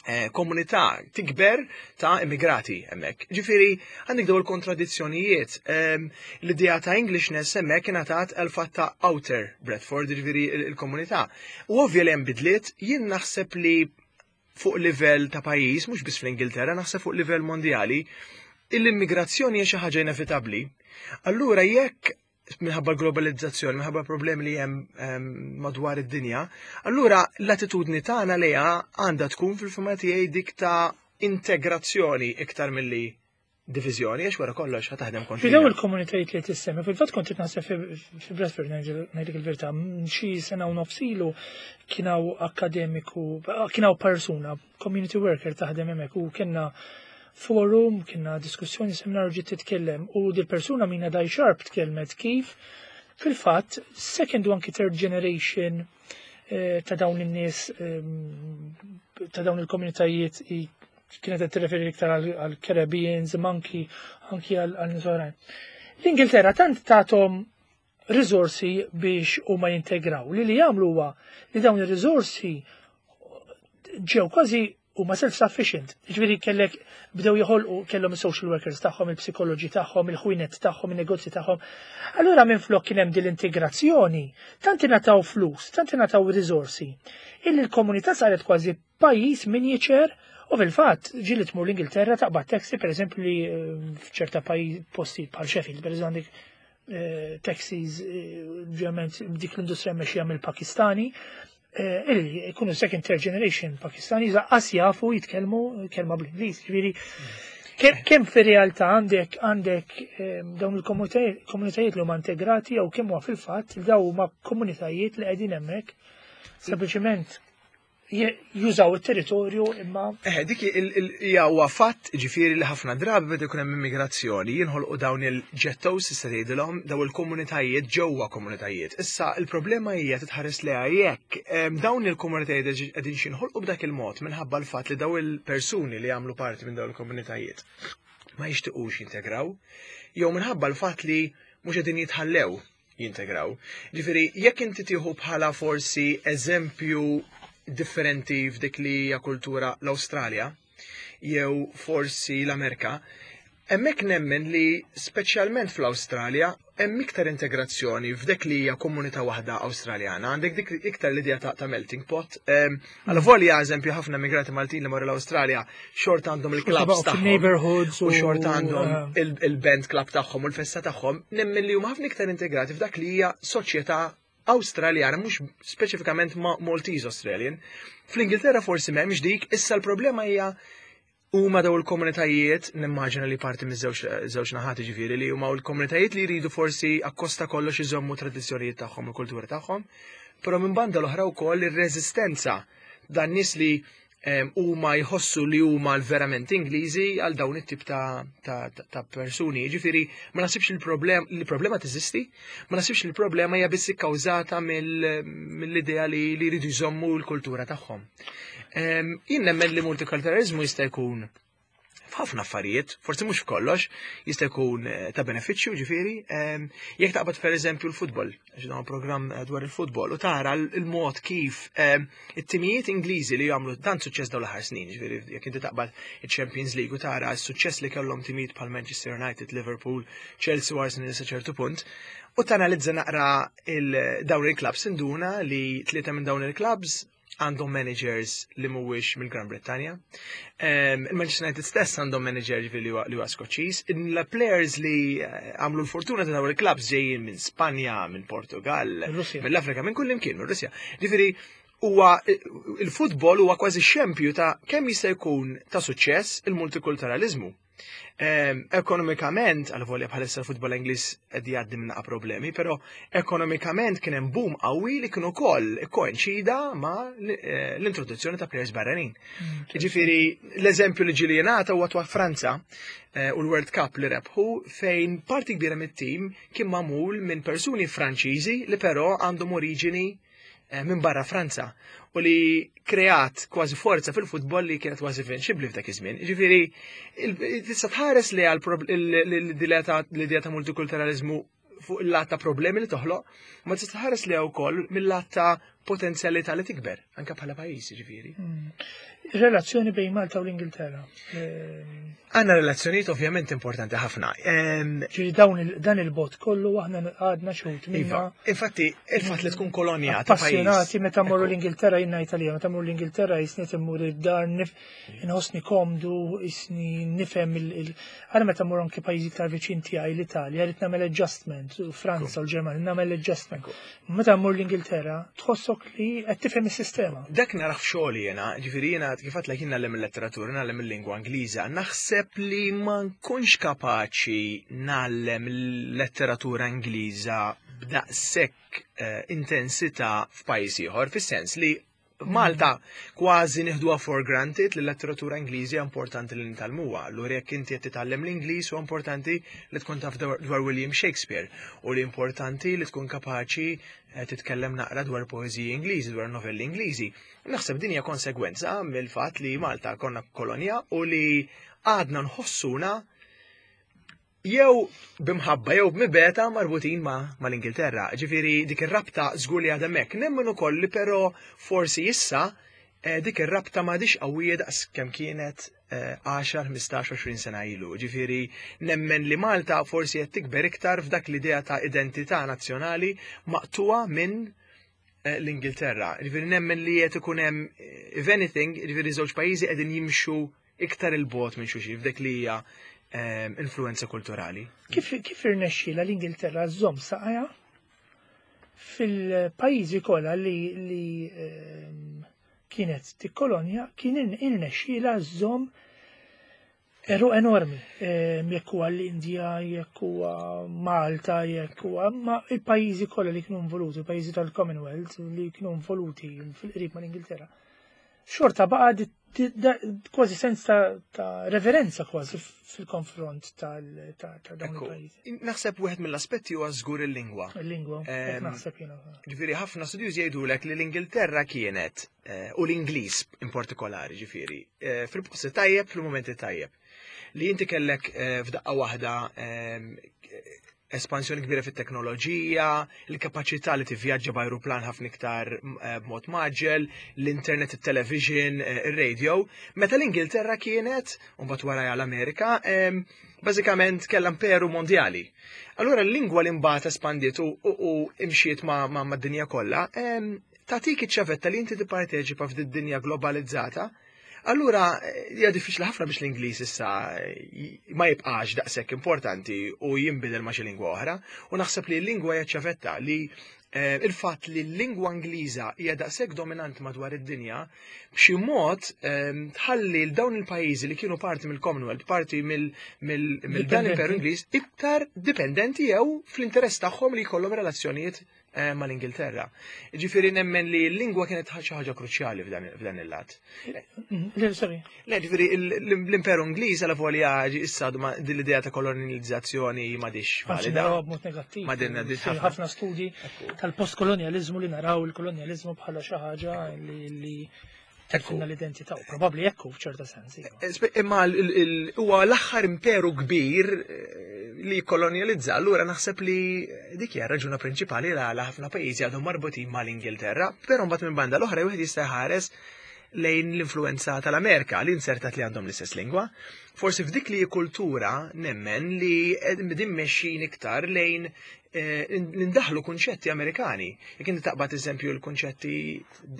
eh, komunità tikber ta' immigrati hemmhekk. Ġifieri għandek daw il-kontradizzjonijiet. Ehm, L-idea ta' Englishness hemmhekk ingħatat għal fatt ta' Outer Bradford, ġifieri il-komunità. U ovvja li hemm bidliet, jien naħseb li fuq livell ta' pajjiż, mhux biss fl-Ingilterra, naħseb fuq livell mondjali, l-immigrazzjoni hija xi ħaġa inevitabbli. Allura jekk minħabba globalizzazzjoni, minħabba problemi li hemm ehm, madwar id-dinja, allura l-attitudni tagħna lejha għandha tkun fil-fehma tiegħi dik ta' integrazzjoni iktar milli diviżjoni, għax wara kollox ħa taħdem Fi daw kontrina. Il-komunitajiet li tissemmi, fil-fatt kont naħseb fi fi Bradford, ngħidlek il-verità, xi sena u nofs ilu kien hawn akademiku, kien hawn persuna, community worker taħdem hemmhekk u kellna forum, kienna diskussjoni, seminar, ġiet titkellem u dil-persuna Mina Dai Sharp tkellmet kif fil-fatt second u anki third generation eh, ta' dawn in-nies, ehm, ta' dawn il-komunitajiet i- kienet qed tirreferi iktar għal Caribbeans, imma anki anki għal għal nies oħrajn. L-Ingilterra tant tagħthom risorsi biex huma jintegraw li li jagħmlu huwa li dawn ir-risorsi ġew kważi huma self-sufficient. Ġifieri kellek bdew joħolqu, kellhom is-social workers tagħhom, il-psikoloġi tagħhom, il-ħwienet tagħhom, in-negozji tagħhom. Allura minn flok kien hemm din l-integrazzjoni, tant ingħataw flus, tant ingħataw risorsi, illi l-komunità saret kważi pajjiż miniature. U fil-fatt ġieli tmur l-Ingilterra, taqbad taxi, per eżempju, li eh, f'ċerta pajjiż, postijiet bħal Sheffield, per eżempju, għandek eh, taxis, eh, ovvjament dik l-industrija mexxija mill-Pakistani, eh, illi jkunu second, third generation Pakistani, qas jafu jitkellmu kelma bl-Ingliż. Ġifieri kemm kemm fir-realtà għandek għandek eh, dawn il-komunitajiet li huma integrati jew kemm huwa fil-fatt li daw huma komunitajiet li qegħdin hemmhekk sempliċement je- jużaw it-territorju imma Eh, dik il- il- hija huwa fatt, ġifieri li ħafna drabi meta jkun hemm immigrazzjoni jinħolqu dawn il-ghettos, issa tgħidilhom, dawn il-komunitajiet ġewwa komunitajiet. Issa il-problema hija titħares lejha jekk em, dawn il-komunitajiet qegħdin xinħolqu b'dak il-mod minħabba l-fatt li daw il-persuni li jagħmlu parti minn dawn il-komunitajiet ma jixtiequx jintegraw, jew minħabba l-fatt li mhux qegħdin jitħallew jintegraw. Ġifieri, jekk inti tieħu bħala forsi eżempju differenti f'dik li hija kultura l-Awstralja jew forsi l-Amerika, hemmhekk nemmen li speċjalment fl-Awstralja hemm iktar integrazzjoni f'dik li hija komunità waħda Awstraljana, għandek dik iktar l-idea ta', ta' melting pot. Għal volja eżempju ħafna immigrati Maltin li marru l-Awstralja xorta għandhom il-clubs tagħhom. Neighborhoods. U xorta għandhom il-band club tagħhom u l-festa tagħhom, nemmen li huma ħafna iktar integrati f'dak li hija soċjetà Awstraljana, mhux speċifikament ma' Maltese Australian. Fl-Ingilterra forsi m'hemmx dik, issa l-problema hija huma daw il-komunitajiet, nimmaġina li parti miż-żewġ naħat, ġifieri li huma l-komunitajiet li jridu forsi akkosta kollox iżommu tradizzjonijiet tagħhom u kultura tagħhom, però minn banda l-oħra wkoll ir-reżistenza dan nies li huma jħossu li huma l-verament Ingliżi għal dawn it-tip ta', ta, ta, ta persuni. Ġifieri ma nasibx il-problem il-problema teżisti, ma nasibx il-problema hija biss ikkawżata mill-idea li li jridu jżommu l-kultura tagħhom. Jien nemmen li multikulturalizmu jista' jkun f'ħafna affarijiet, forsi mhux f'kollox, jista' jkun eh, ta' benefiċċju, ġifieri, jekk taqbad per eżempju l-futbol, għax dan programm eh, dwar il-futbol, u tara l-mod kif it-timijiet Ingliżi li jagħmlu dan suċċess dawn l-aħħar snin, ġifieri jekk inti taqbad il-Champions League u tara s-suċċess li kellhom timijiet bħal Manchester United, Liverpool, Chelsea u Arsenal sa ċertu punt, u tanalizza naqra dawn il-clubs, induna li tlieta minn dawn il-clubs għandhom managers li mhuwiex mill-Gran Brittanja. Il-Manchester United stess għandhom manager li huwa Skoċċiż. Il-players li eh, għamlu l-fortuna ta' dawn il-clubs ġejjin minn Spanja, minn Portugal, mill-Afrika, minn kull imkien, minn Russja. Ġifieri huwa il-futbol huwa kważi xempju ta' kemm jista' jkun ta' suċċess il-multikulturalizmu. Ekonomikament, għal volja bħalissa l-futbol Ingliż qed jgħaddi minn problemi, però ekonomikament kien hemm boom qawwi li kien ukoll koinċida ma' eh, l-introduzzjoni ta' players barranin. Mm, Ġifieri l-eżempju li ġieli jingħata huwa ta' Franza eh, u l-World Cup li rebħu, fejn parti kbira mit-tim kien magħmul minn persuni Franċiżi li però għandhom oriġini eh, minn barra Franza u li kreat kważi forza fil-futbol li kienet kważi invincibbli f'dak iż-żmien. Ġifieri tista' tħares li għal l-idea ta' multikulturalizmu fuq il-lat ta' problemi li toħloq, ma tista' tħares li wkoll mill-lat ta' potenzjalità li tikber, anke bħala pajjiż ġifieri. Relazzjoni bejn Malta u l-Ingilterra. Ehm, Għandna relazzjonijiet ovvjament importanti ħafna. Ehm, Ġifieri dawn il- dan il-bot kollu aħna għadna xut Iva, minna infatti, il-fatt li tkun kolonja ta' pajjiż. Appassionati meta mmorru l-Ingilterra jiena Italja, meta mmorru l-Ingilterra jisni immur id-dar nif inħossni komdu, jisni nifhem il- il Għara meta mmorru anke pajjiżi iktar viċin tiegħi l-Italja, rrid nagħmel adjustment, u Franza u l-Ġermanja, nagħmel adjustment. Meta mmur l-Ingilterra, tħossok li qed tifhem is-sistema. Dak narah f'xogħli jiena, ġifieri jiena kif għedtlek jien ngħallem il-letteratura, ngħallem il-lingwa Ingliża, naħseb li ma nkunx kapaċi ngħallem il-letteratura Ingliża b'daqshekk eh, intensità f'pajjiż ieħor, fis-sens li Malta kważi nieħduha for granted li l-letteratura Ingliżi hija importanti li nitgħallmuha. Allura jekk inti qed titgħallem l-Ingliż huwa importanti li tkun taf dwar dwar William Shakespeare u li importanti li tkun kapaċi eh, titkellem naqra dwar poeżiji Ingliżi, dwar novelli Ingliżi. Naħseb din hija konsegwenza mill-fatt li Malta konna kolonja u li għadna nħossuna jew b'imħabba jew b'mibegħda marbutin ma' mal-Ingilterra. Ġifieri dik ir-rabta żgur li għadha hemmhekk. Nemmen ukoll li però forsi issa eh, dik ir-rabta m'għadix qawwija daqs kemm kienet eh, għaxar, ħmistax, għoxrin sena ilu. Ġifieri nemmen li Malta forsi qed tikber iktar f'dak l-idea ta' identità nazzjonali maqtuwa minn eh, l-Ingilterra. Ġifieri nemmen li qed ikun hemm eh, if anything, ġifieri żewġ pajjiżi qegħdin jimxu iktar il-bogħod minn xulxin f'dik li hija eh, influenza kulturali. Kif kif irnexxiela l-Ingilterra żżomm saqajha fil-pajjiżi kollha li li ehm, kienet tikkolonja kien irnexxiela żżomm għeruq enormi, ehm, jekk huwa l-Indja, jekk huwa Malta, jekk huwa ma il-pajjiżi kollha li kienu involuti, il-pajjiżi tal-Commonwealth li kienu involuti fil-qrib mal-Ingilterra. Xorta baqa di- di- da- kważi sens ta', ta' reverenza kważi fil-konfront tal- ta' ta' dawn Ekku, il-pajjiżi. naħseb wieħed mill-aspetti huwa żgur il-lingwa. Il-lingwa, hekk Ehm, naħseb jiena. Ġifieri ħafna studjużi jgħidulek li l-Ingilterra kienet eh, u l-Ingliż in partikolari ġifieri eh, fil-posti tajjeb fil-momenti tajjeb. Li inti kellek eh, f'daqqa waħda ehm, espansjoni kbira fit-teknoloġija, il-kapaċità li tivvjaġġa b'ajruplan ħafna iktar eh, b'mod mgħaġġel, l-internet, il-television, eh, ir-radio, meta l-Ingilterra kienet, u mbagħad wara l-Amerika, ehm, bażikament kellha imperu mondjali. Allura l-lingwa li mbagħad espandiet u, u, u imxiet ma' ma' mad-dinja kollha, ehm, tagħtik iċ-ċavetta li inti tipparteċipa f'din dinja globalizzata. Allura, eh, hija diffiċli ħafna biex l-Ingliż issa eh, ma jibqax daqshekk importanti u jinbidel ma' xi lingwa oħra. U naħseb li l-lingwa hija ċavetta li eh, il-fatt li l-lingwa Ingliża hija daqshekk dominanti madwar id-dinja, b'xi mod eh, tħalli l dawn il-pajjiżi li kienu parti mill-Commonwealth, parti mill mill mill dan l-Imperu Ingliż, iktar dipendenti jew fl-interess tagħhom li jkollhom relazzjonijiet eh, mal-Ingilterra. Ġifieri nemmen li l-lingwa kienet xi ħaġa kruċjali f'dan f'dan il-lat. Mm, Le, sorry. Le, ġifieri l- l-Imperu Ingliż għala volja issa ma din l-idea ta' kolonializzazzjoni m'għadhiex Anzi, valida. naraw b'mod negattiv. Ma din- din Fi ħafna. ħafna studji tal-postkolonializmu li naraw il-kolonializmu bħala xi ħaġa li li tilfilna l-identità u probabbli ekku f'ċerta sens. iva. Eh, spe- Imma l- il- il- huwa l-aħħar imperu kbir eh, li kolonializza, allura naħseb li dik hija raġuna prinċipali li għala ħafna pajjiżi għadhom marbutin mal-Ingilterra, però mbagħad minn banda l-oħra wieħed jista' jħares lejn l-influenza tal-Amerika li insertat li għandhom l-istess lingwa. Forsi f'dik li kultura nemmen li din mexxin iktar lejn eh, nindaħlu kunċetti Amerikani. Jekk inti taqbad eżempju l-kunċetti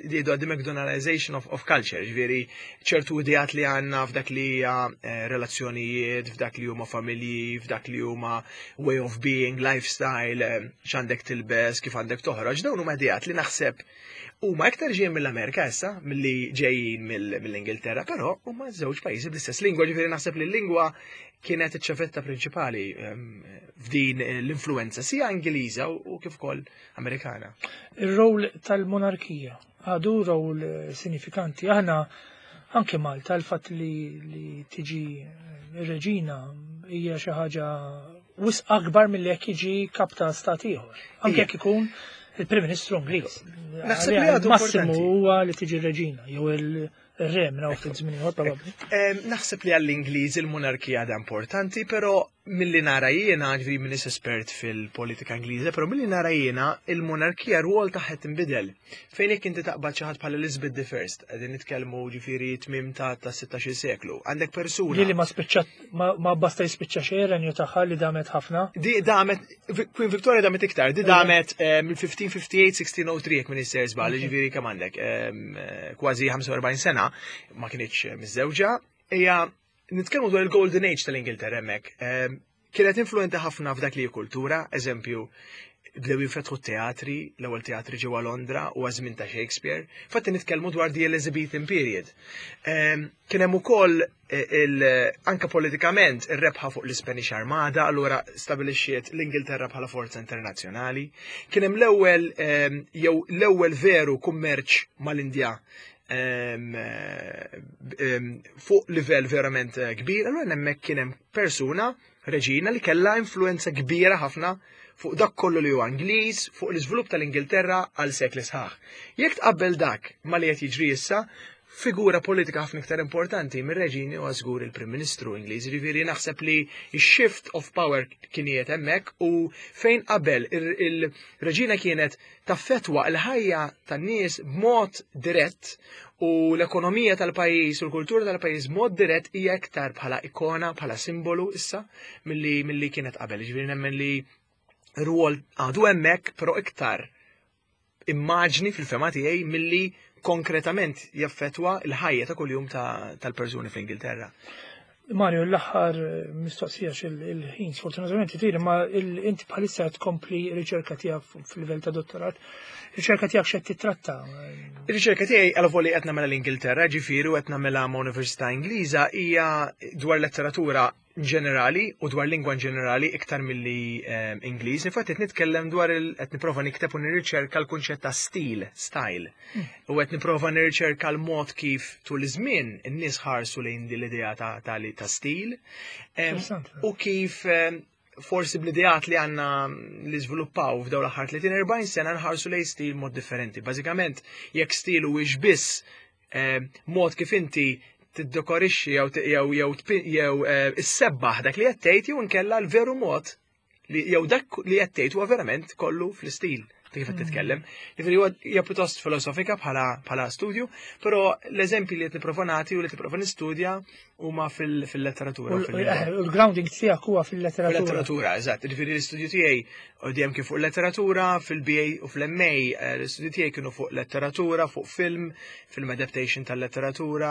jgħidu għad McDonaldization of, of culture, ġifieri ċertu ideat li għandna f'dak li hija eh, relazzjonijiet, f'dak li huma familji, f'dak li huma way of being, lifestyle, eh, x'għandek tilbes, kif għandek toħroġ, dawn huma ideat li naħseb huma iktar ġejjin mill-Amerika issa milli ġejjin mill- mill-Ingilterra, però huma żewġ pajjiżi bl-istess lingwa, ġifieri naħseb li l-lingwa kienet iċ-ċavetta prinċipali ehm, f'din l-influenza sia Ingliża u u kif ukoll Amerikana. Ir-rol tal-monarkija għadu rol eh, sinifikanti. Aħna anke Malta l-fatt li, li tiġi eh, ir-reġina hija xi ħaġa wisq akbar milli jekk jiġi kap ta' stat ieħor. Anke Ija. jekk ikun il-Prim Ministru Ingliż. Naħseb li Għalija għadu il-massimu importanti. huwa li tiġi r-reġina jew il-re minn hawn ftit żmien ieħor probabbli. Em, Naħseb li għall-Ingliż il-monarkija għadha importanti, però Milli nara jiena, ġifieri m'iniex espert fil-politika Ingliża, però milli nara jiena il-monarkija rwol tagħha tinbidel. Fejn jekk inti taqbad xi ħadd bħal Elizabeth the First, qegħdin nitkellmu ġifieri tmiem ta' ta' sittax-il seklu. Għandek persuna. Li li ma spiċċat, ma, ma basta jispiċċa xejn renju tagħha li damet ħafna. Di damet, Queen Victoria damet iktar, di damet eh, mill-fifteen fifty-eight sixteen oh three, jekk m'iniex sejjer żball, ġifieri kemm għandek, em, eh, kważi ħamsa u erbgħin sena, ma kinitx miżżewġa. Hija nitkellmu dwar il-Golden Age tal-Ingilterra hemmhekk. Em, Kienet influenti ħafna f'dak li hi kultura, eżempju, bdew jinfetħu teatri, l-ewwel teatri ġewwa Londra u għażmin ta' Shakespeare. Fatti nitkellmu dwar the Elizabethan period. Em, Kien hemm ukoll eh, il anka politikament ir-rebħa fuq l-Spanish Armada, allura stabilixxiet l-Ingilterra bħala forza internazzjonali. Kien hemm l-ewwel em, jew l-ewwel veru kummerċ mal-Indja em, em, fuq livell verament eh, kbir, allura hemmhekk kien hemm persuna, reġina, li kellha influenza kbira ħafna fuq dak kollu li huwa Ingliż, fuq l-iżvilupp tal-Ingilterra għal sekli sħaħ. Jekk tqabbel dak ma li qed jiġri issa, figura politika ħafna iktar importanti mir-reġini u żgur il-Prim Ministru Ingliż. Ġifieri naħseb li x-shift of power kien qiegħed hemmhekk u fejn qabel il-reġina kienet taffetwa l-ħajja tan-nies b'mod dirett u l-ekonomija tal-pajjiż u l-kultura tal-pajjiż b'mod dirett, hija iktar bħala ikona, bħala simbolu issa milli milli kienet qabel. Ġifieri nemmen li rwol għadu hemmhekk, però iktar immaġni fil-fehma tiegħi milli konkretament jaffetwa l-ħajja ta' kuljum tal-persuni fl-Ingilterra. Mario, l-aħħar mistoqsija, il-ħin sfortunatament itir, ma inti bħalissa tkompli riċerka tiegħek fil-livell ta' dottorat. Riċerka tiegħek x'qed titratta? Ir-riċerka tiegħi, għal qed nagħmilha l-Ingilterra, ġifieri qed nagħmilha ma' Università Ingliża, hija dwar letteratura ġenerali u dwar lingwa ġenerali iktar milli um, Ingliż. Infatti qed nitkellem dwar il qed nipprova nikteb u nirriċerka l-kunċett ta' stil, style. Mm. U qed nipprova nirriċerka l-mod kif tul iż-żmien in-nies ħarsu lejn din l-idea ta', ta, ta stil. Um, u kif um, forsi bl-ideat li għanna li żviluppaw f'dawn l-aħħar tletin erbgħin sena nħarsu lejn stil mod differenti. Bażikament, jekk stil huwiex biss eh, mod kif inti tiddekorixxi jew jew jew jew eh, issebbaħ dak li qed tgħid, jew inkella l-veru mod li jew dak li qed tgħid huwa verament kollu fl-istil ta' kif qed titkellem. Jiġifieri huwa hija pjuttost filosofika bħala bħala studju, però l-eżempji li qed nipprova nagħti u li tipprova nistudja huma fil-letteratura. U l-grounding tiegħek huwa fil-letteratura. Fil-letteratura, eżatt. Jiġifieri l-istudju tiegħi dejjem kien fuq letteratura, fil-B A u fl-M A, eh, l-istudju tiegħi kienu fuq letteratura, fuq film, film adaptation tal-letteratura,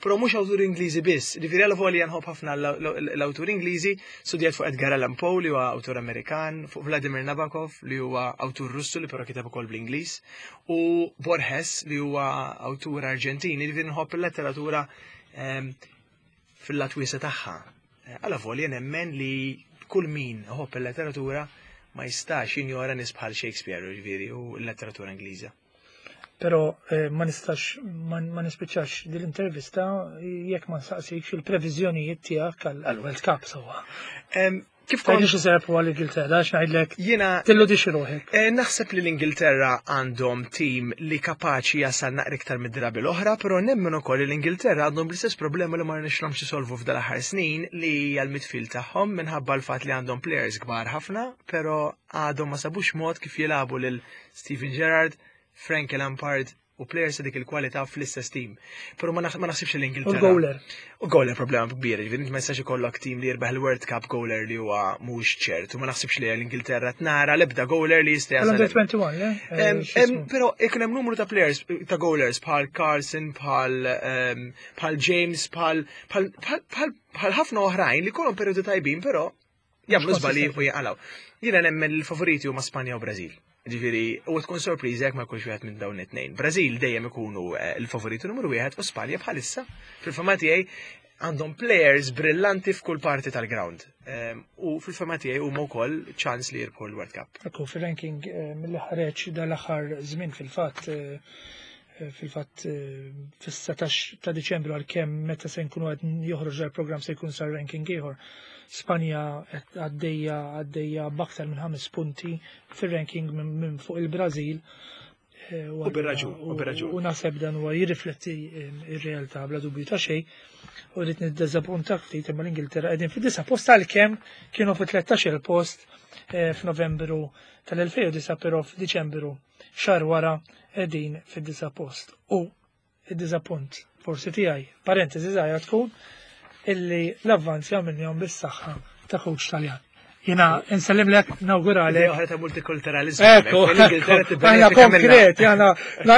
però mhux awturi Ingliżi biss. Jiġifieri għal volja nħobb ħafna l-awturi Ingliżi, studjat fuq Edgar Allan Poe, li huwa awtur Amerikan, fuq Vladimir Nabokov, li huwa awtur Russu li però kiteb ukoll bl-Ingliż, u Borges, li huwa awtur Arġentin. Jiġifieri nħobb il-letteratura fil-lat wiesa' tagħha. Għala volja nemmen li kull min iħobb il-letteratura ma jistax jinjora nies bħal Shakespeare, ġifieri, u l-letteratura Ingliża. Però eh, ma nistax ma nispiċċax din l-intervista jekk ma nsaqsikx il-previżjonijiet tiegħek għall-World Cup sewwa. Kif kont xi serpu għall-Ingilterra, x'ngħidlek? Jiena tilludix ruħek. Eh, naħseb li l-Ingilterra għandhom tim li kapaċi jasal naqra iktar mid-drabi l-oħra, però nemmen ukoll li l-Ingilterra għandhom l-istess problema li ma rnexxilhomx isolvu f'dal aħħar snin, li hija l-midfield tagħhom, minħabba l-fatt li għandhom players kbar ħafna, però għadhom ma sabux mod kif jilagħbu lil Steven Gerrard, Frank Lampard u players dik il-kwalità fl-istess team. Però ma naħsibx l-Ingilterra. U goaler. U goaler problema kbira, ġifieri ma jistax ikollok team li jirbaħ il-World Cup goaler li huwa mhux ċert, u ma naħsibx li l-Ingilterra tnara l-ebda goaler li jista' jasal. Under twenty-one, le? Però ikun hemm numru ta' players, ta' goalers bħal Carlson, bħal bħal James, bħal bħal ħafna oħrajn li kollhom periodu tajbin, però jagħmlu żbalji u jaqalgħu. Jiena nemmen il-favoriti huma Spanja u Brażil. Ġifieri, u tkun sorpriża jekk ma jkunx wieħed minn dawn it-tnejn. Brażil dejjem ikunu eh, l-favoritu numru wieħed u Spanja bħalissa fil-fehma tiegħi għandhom players brillanti f'kull parti tal-ground. Ehm, u fil-fehma tiegħi huma wkoll ċans li jirbħu l-World Cup. Ekku, fil-ranking eh, mill ħareġ dal-aħħar żmien, fil-fatt eh, fil-fatt fis-satax ta' Diċembru, għalkemm meta se nkunu qed joħroġ il-programm se jkun sar ranking ieħor. Spanja għaddejja għaddejja b'aktar minn ħames punti fir-ranking minn fuq il-Brażil. Eh, U bir-raġun, u bir-raġun. U naħseb dan huwa jirrifletti ir-realtà bla dubju ta' xejn. U rrid niddeżappuntak ftit imma l-Ingilterra qegħdin fid-disa' post għalkemm kienu fi tlettax-il post eh, f'Novembru tal-elfejn u disa', però f'Diċembru xahar wara qegħdin fid-disa' post. U id-diżappunt forsi tiegħi, parentesi żgħira tkun illi l-avvanz jagħmilhom bis-saħħa ta' coach Taljan. Jena nsellimlek, nawguralek. Idea oħra ta' multikulturalizmu. Ekku, ekku, aħna konkret, aħna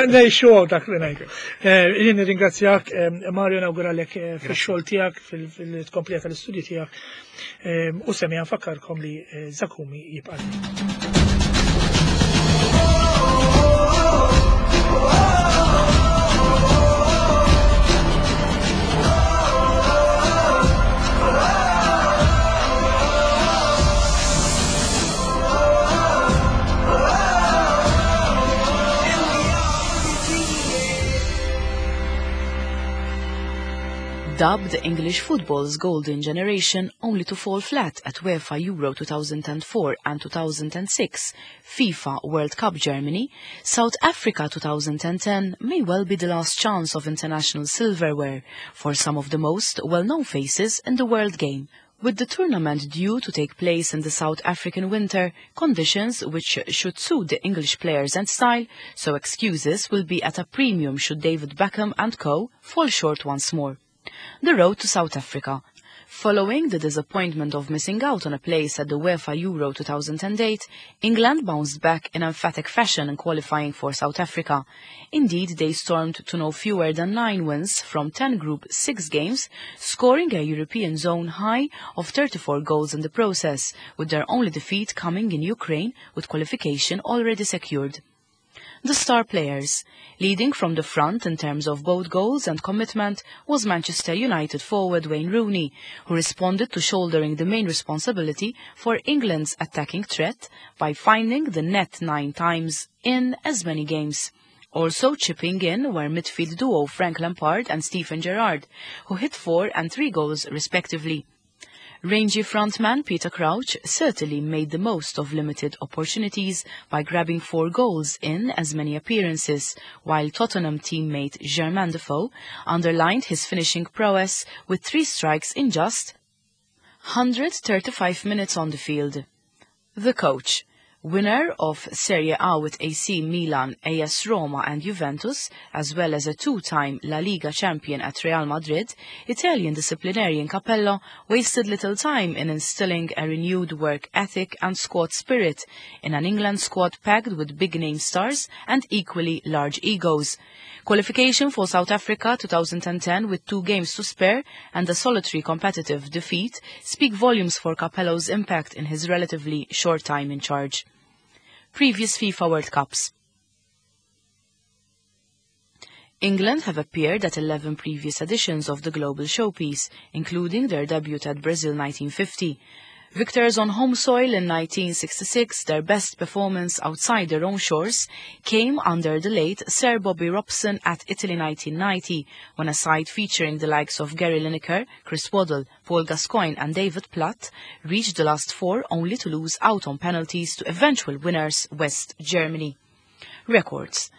ngħixu dak li ngħidu. Eh, jien nirringrazzjak, eh, Mario, nawguralek eh, fix-xogħol tiegħek, fil-tkomplija tal-istudji tiegħek. U semmi nfakkarkom li Zakumi jibqa'. Dubbed English football's golden generation, only to fall flat at UEFA Euro two thousand four and two thousand six, FIFA World Cup Germany, South Africa two thousand ten may well be the last chance of international silverware for some of the most well-known faces in the world game. With the tournament due to take place in the South African winter, conditions which should suit the English players and style, so excuses will be at a premium should David Beckham and co fall short once more. The road to South Africa. Following the disappointment of missing out on a place at the UEFA Euro two thousand eight, England bounced back in emphatic fashion in qualifying for South Africa. Indeed, they stormed to no fewer than nine wins from ten Group six games, scoring a European zone high of thirty-four goals in the process, with their only defeat coming in Ukraine, with qualification already secured. The star players. Leading from the front in terms of both goals and commitment was Manchester United forward Wayne Rooney, who responded to shouldering the main responsibility for England's attacking threat by finding the net nine times in as many games. Also chipping in were midfield duo Frank Lampard and Steven Gerrard, who hit four and three goals respectively. Rangy frontman Peter Crouch certainly made the most of limited opportunities by grabbing four goals in as many appearances, while Tottenham teammate Jermaine Defoe underlined his finishing prowess with three strikes in just hundred thirty-five minutes on the field. The coach. Winner of Serie A with A C Milan, A S Roma and Juventus, as well as a two-time La Liga champion at Real Madrid, Italian disciplinarian Capello wasted little time in instilling a renewed work ethic and squad spirit in an England squad packed with big-name stars and equally large egos. Qualification for South Africa two thousand ten with two games to spare and a solitary competitive defeat speak volumes for Capello's impact in his relatively short time in charge. Previous FIFA World Cups. England have appeared at eleven previous editions of the global showpiece, including their debut at Brazil nineteen fifty. Victors on home soil in nineteen sixty-six, their best performance outside their own shores came under the late Sir Bobby Robson at Italy nineteen ninety, when a side featuring the likes of Gary Lineker, Chris Waddle, Paul Gascoigne and David Platt reached the last four only to lose out on penalties to eventual winners West Germany. Records.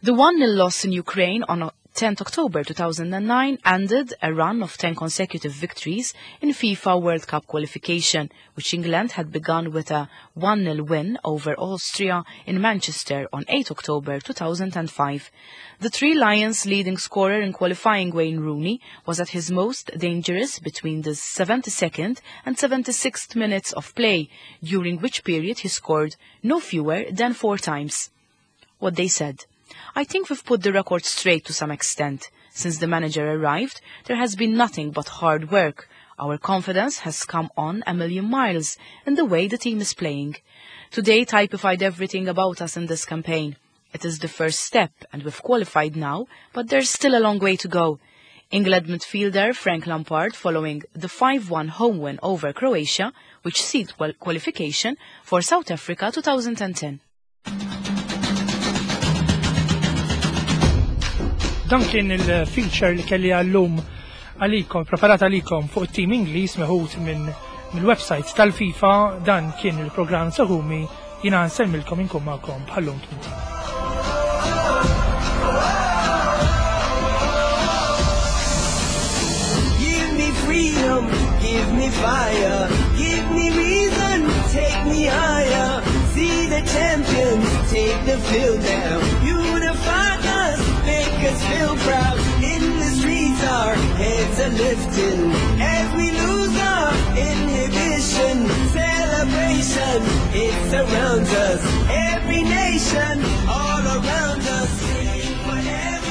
The one nil loss in Ukraine on tenth October two thousand nine ended a run of ten consecutive victories in FIFA World Cup qualification, which England had begun with a one nil win over Austria in Manchester on eighth October two thousand five. The Three Lions' leading scorer in qualifying, Wayne Rooney, was at his most dangerous between the seventy-second and seventy-sixth minutes of play, during which period he scored no fewer than four times. What they said. I think we've put the record straight to some extent. Since the manager arrived, there has been nothing but hard work. Our confidence has come on a million miles in the way the team is playing. Today typified everything about us in this campaign. It is the first step and we've qualified now, but there's still a long way to go. England midfielder Frank Lampard following the five one home win over Croatia, which sealed qual- qualification for South Africa two thousand ten. Dan kien il-feature li kelli għallum għalikom, preparat għalikom fuq it-team Ingliż meħud minn mill-website tal-FIFA. Dan kien il-programm Sagumi, jina nsellmilkom inkun magħkom bħallum tmien. me fire, give me reason, take me higher. See the champions take the field now. Unify us, make us feel proud. In the streets, our heads are lifting as we lose our inhibition. Celebration, it surrounds us. Every nation, all around us, sing forever.